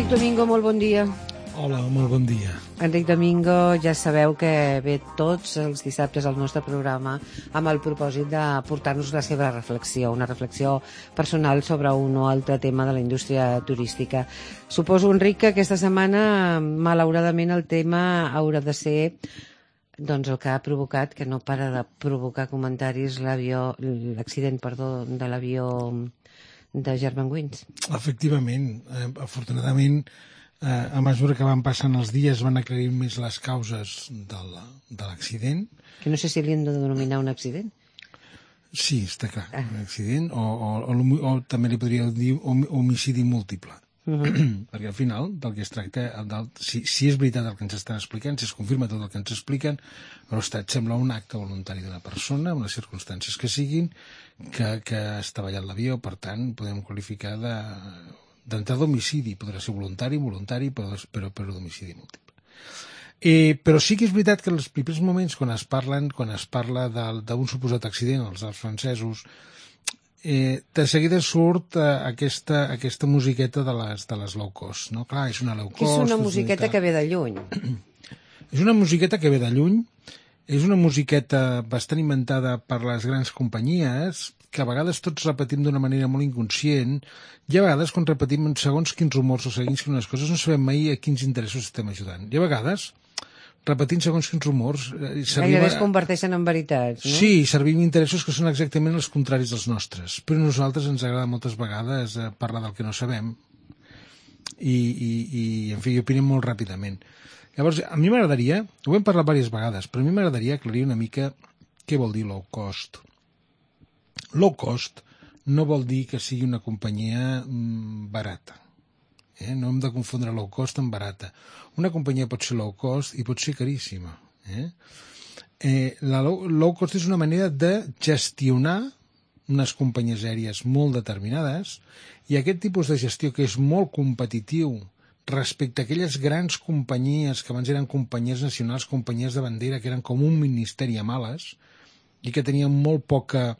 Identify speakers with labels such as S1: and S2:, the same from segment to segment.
S1: Enric Domingo, molt bon dia.
S2: Hola, molt bon dia.
S1: Enric Domingo, ja sabeu que ve tots els dissabtes al nostre programa amb el propòsit de portar-nos la seva reflexió, una reflexió personal sobre un o altre tema de la indústria turística. Suposo, Enric, que aquesta setmana, malauradament, el tema haurà de ser doncs el que ha provocat, que no para de provocar comentaris, l'accident de l'avió de Germanwings.
S2: Efectivament, afortunadament, a mesura que van passant els dies van aclarint més les causes de l'accident.
S1: Que no sé si li hem de denominar un accident.
S2: Sí, està clar, un accident, o també li podria dir homicidi múltiple. Perquè al final del que es tracta, si és veritat el que ens estan explicant, si es confirma tot el que ens expliquen, l'estat sembla un acte voluntari d'una persona, amb les circumstàncies que siguin, que ha estavellat l'avió. Per tant, podem qualificar d'entrada d'homicidi. Podrà ser voluntari, però d'homicidi múltiple. Però sí que és veritat que en els primers moments, quan es parla d'un suposat accident, els Alps francesos, de seguida surt aquesta musiqueta de les low cost, no? Clar, és una low cost.
S1: Que és una musiqueta que ve de lluny.
S2: És una musiqueta que ve de lluny, és una musiqueta bastant inventada per les grans companyies, que a vegades tots repetim d'una manera molt inconscient, i a vegades quan repetim segons quins rumors o segons quines coses no sabem mai a quins interessos estem ajudant. I a vegades repetint segons quins rumors...
S1: Gairebé es converteixen en veritats, no?
S2: Sí, servim interessos que són exactament els contraris dels nostres, però a nosaltres ens agrada moltes vegades parlar del que no sabem i en fi, opinem molt ràpidament. Llavors, a mi m'agradaria, ho hem parlat diverses vegades, però a mi m'agradaria aclarir una mica què vol dir low cost. Low cost no vol dir que sigui una companyia barata. No hem de confondre low cost amb barata. Una companyia pot ser low cost i pot ser caríssima. La low cost és una manera de gestionar unes companyies aèries molt determinades, i aquest tipus de gestió, que és molt competitiu respecte a aquelles grans companyies que abans eren companyies nacionals, companyies de bandera, que eren com un ministeri a males i que tenien molt poca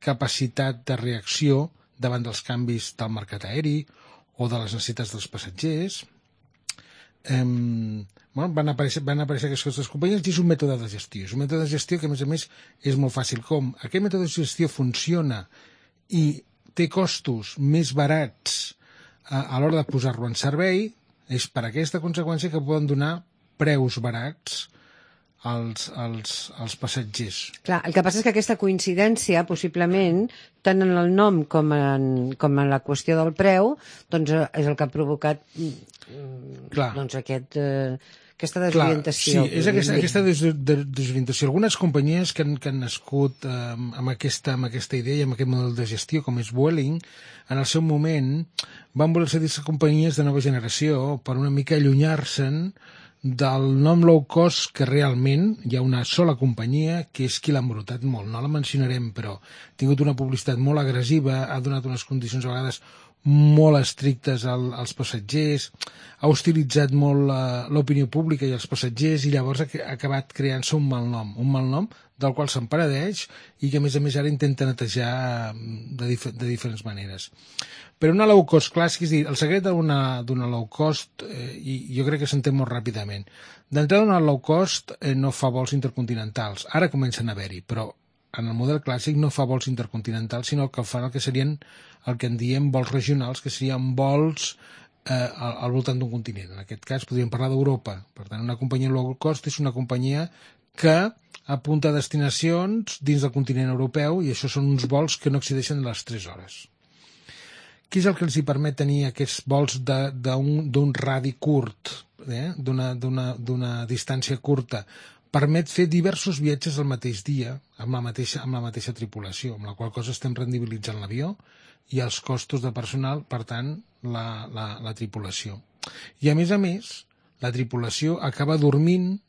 S2: capacitat de reacció davant dels canvis del mercat aeri o de les necessitats dels passatgers. Van aparèixer aquestes companyies i és un mètode de gestió. És un mètode de gestió que, a més, és molt fàcil. Com aquest mètode de gestió funciona i té costos més barats a l'hora de posar-lo en servei, és per aquesta conseqüència que poden donar preus barats als passatgers.
S1: Clar, el que passa és que aquesta coincidència, possiblement, tant en el nom com en la qüestió del preu, doncs és el que ha provocat doncs aquesta desorientació.
S2: Clar, sí, és aquesta desorientació. Algunes companyies que han nascut amb aquesta idea i amb aquest model de gestió, com és Vueling, en el seu moment van voler ser companyies de nova generació per una mica allunyar-se'n del nom low cost, que realment hi ha una sola companyia que és qui l'ha embrutat molt. No la mencionarem, però ha tingut una publicitat molt agressiva, ha donat unes condicions a vegades molt estrictes als passatgers, ha hostilitzat molt l'opinió pública i els passatgers, i llavors ha acabat creant-se un mal nom del qual se'n penedeix i que a més ara intenta netejar de diferents maneres. Però una low cost clàssica, és a dir, el secret d'una low cost, i jo crec que s'entén molt ràpidament. D'entrada, una low cost no fa vols intercontinentals. Ara comencen a haver-hi, però en el model clàssic no fa vols intercontinentals, sinó que fan el que serien el que en diem vols regionals, que serien vols al voltant d'un continent. En aquest cas podríem parlar d'Europa. Per tant, una companyia low cost és una companyia que apunta a destinacions dins del continent europeu, i això són uns vols que no excedeixen les 3 hores. Què és el que els permet tenir aquests vols d'un radi curt, d'una distància curta? Permet fer diversos viatges al mateix dia amb la mateixa tripulació, amb la qual cosa estem rendibilitzant l'avió i els costos de personal, per tant, la tripulació. I a més, la tripulació acaba dormint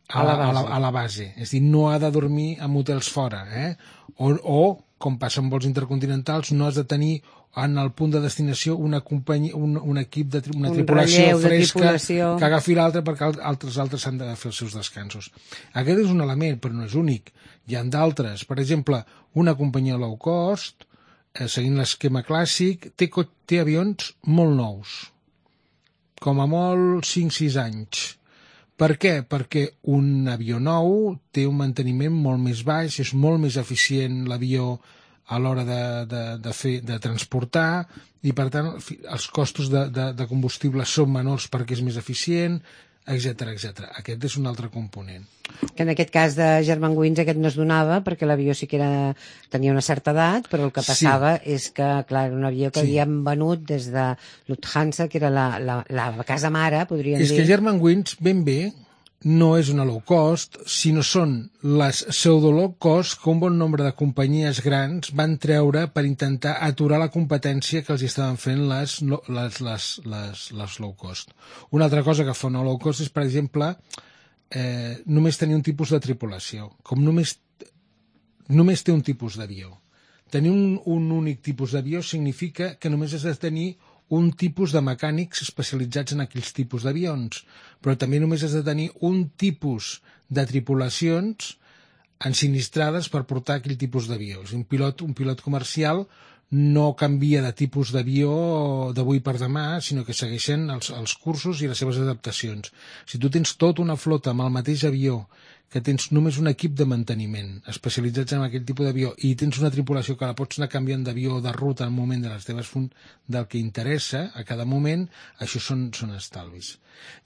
S2: a la base. És a dir, no ha de dormir en hotels fora, o com passa amb vols intercontinentals, no has de tenir en el punt de destinació una equip una tripulació fresca que agafi l'altre, perquè altres han de fer els seus descansos. Aquest és un element, però no és únic. Hi ha d'altres. Per exemple, una companyia low cost, seguint l'esquema clàssic, té avions molt nous. com a molt 5-6 anys. Per què? Perquè un avió nou té un manteniment molt més baix, és molt més eficient l'avió a l'hora de transportar i, per tant, els costos de combustible són menors perquè és més eficient, etc etc. Aquest és un altre component.
S1: Que en aquest cas de Germanwings aquest no es donava perquè l'avió sí que tenia una certa edat, però el que passava és que, clar, era un avió que havien venut des de Lufthansa, que era la casa mare, podríem dir.
S2: És que Germanwings, ben bé, no és una low cost, sinó són les pseudo-low cost que un bon nombre de companyies grans van treure per intentar aturar la competència que els estaven fent les low cost. Una altra cosa que fa una low cost és, per exemple, només tenir un tipus de tripulació. Com només té un tipus d'avió. Tenir un únic tipus d'avió significa que només has de tenir un tipus de mecànics especialitzats en aquells tipus d'avions, però també només has de tenir un tipus de tripulacions ensinistrades per portar aquell tipus d'avió. Un pilot comercial no canvia de tipus d'avió d'avui per demà, sinó que segueixen els cursos i les seves adaptacions. Si tu tens tota una flota amb el mateix avió, que tens només un equip de manteniment especialitzats en aquell tipus d'avió i tens una tripulació que la pots anar canviant d'avió o de ruta al moment de les teves del que interessa a cada moment, això són estalvis.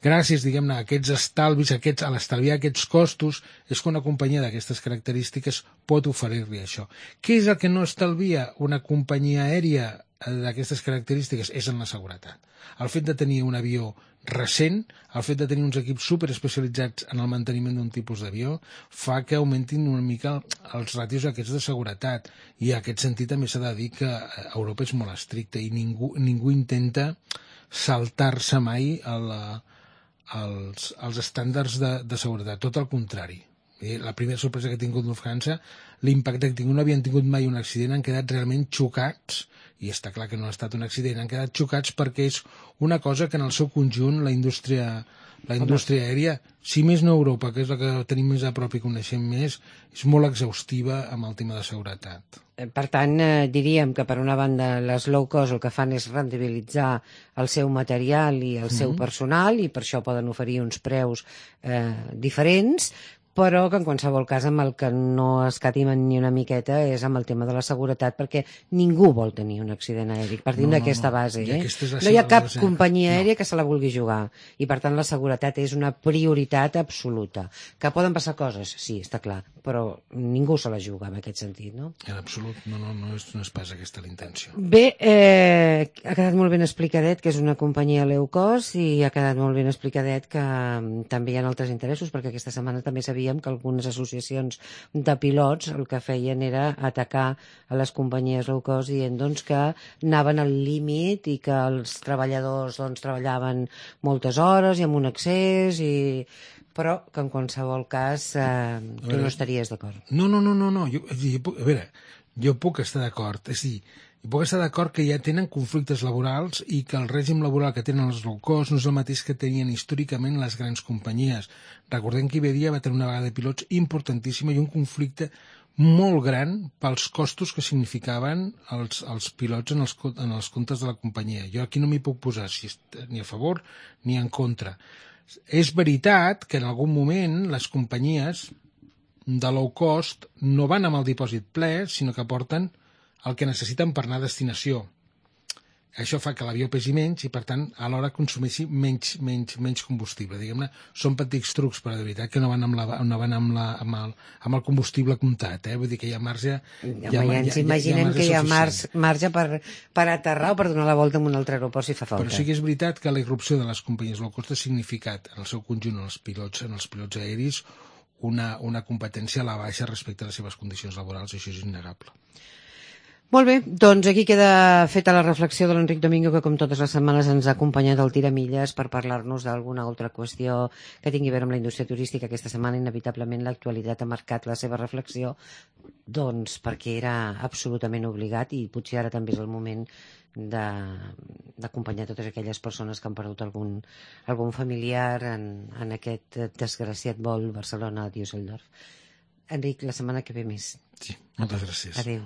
S2: Gràcies, diguem-ne, a aquests estalvis, a l'estalviar aquests costos, és que una companyia d'aquestes característiques pot oferir-li això. Què és el que no estalvia una companyia aèria d'aquestes característiques? És en la seguretat. El fet de tenir un avió recent, el fet de tenir uns equips superespecialitzats en el manteniment d'un tipus d'avió fa que augmentin una mica els ràtios aquests de seguretat, i en aquest sentit també s'ha de dir que Europa és molt estricta i ningú intenta saltar-se mai els estàndards de seguretat, tot el contrari. La primera sorpresa que ha tingut Lufthansa, l'impacte que ha tingut, no havien tingut mai un accident, han quedat realment xocats, i està clar que no ha estat un accident, han quedat xocats perquè és una cosa que en el seu conjunt la indústria aèria, si més no Europa, que és la que tenim més a prop i coneixem més, és molt exhaustiva amb el tema de seguretat.
S1: Per tant, diríem que per una banda les low cost el que fan és rendibilitzar el seu material i el seu personal, i per això poden oferir uns preus diferents, però que en qualsevol cas amb el que no escatimen ni una miqueta és amb el tema de la seguretat, perquè ningú vol tenir un accident aeri, partint d'aquesta base. No hi ha cap companyia aèria que se la vulgui jugar, i per tant la seguretat és una prioritat absoluta. Que poden passar coses, sí, està clar, però ningú se la juga en aquest sentit, no?
S2: En absolut, no és pas aquesta la intenció.
S1: Bé, ha quedat molt ben explicadet que és una companyia low cost, i ha quedat molt ben explicadet que també hi ha altres interessos, perquè aquesta setmana també sabíem que algunes associacions de pilots el que feien era atacar a les companyies low cost dient que anaven al límit i que els treballadors treballaven moltes hores i amb un excés, però que en qualsevol cas tu no estaries d'acord.
S2: No. Jo puc estar d'acord. És a dir, puc estar d'acord que ja tenen conflictes laborals i que el règim laboral que tenen els low cost no és el mateix que tenien històricament les grans companyies. Recordem que Iberia va tenir una vaga de pilots importantíssima i un conflicte molt gran pels costos que significaven els pilots en els comptes de la companyia. Jo aquí no m'hi puc posar ni a favor ni en contra. És veritat que en algun moment les companyies de low cost no van amb el dipòsit ple, sinó que porten el que necessiten per anar a destinació. Això fa que l'avió pesi menys i, per tant, alhora consumeixi menys combustible. Diguem-ne, són petits trucs, però de veritat que no van amb el combustible comptat. Vull dir que hi ha marge...
S1: Ja ens imaginem que hi ha marge per aterrar o per donar la volta en un altre aeroport si fa falta.
S2: Però sí que és veritat que la irrupció de les companyies low cost ha significat, en el seu conjunt, en els pilots aeris, una competència a la baixa respecte a les seves condicions laborals, i això és innegable.
S1: Molt bé, doncs aquí queda feta la reflexió de l'Enric Domingo, que com totes les setmanes ens ha acompanyat al Tiramilles per parlar-nos d'alguna altra qüestió que tingui a veure amb la indústria turística. Aquesta setmana, inevitablement, l'actualitat ha marcat la seva reflexió, doncs perquè era absolutament obligat, i potser ara també és el moment d'acompanyar totes aquelles persones que han perdut algun familiar en aquest desgraciat vol Barcelona-Düsseldorf. Enric, la setmana que ve més.
S2: Sí, moltes gràcies.
S1: Adéu.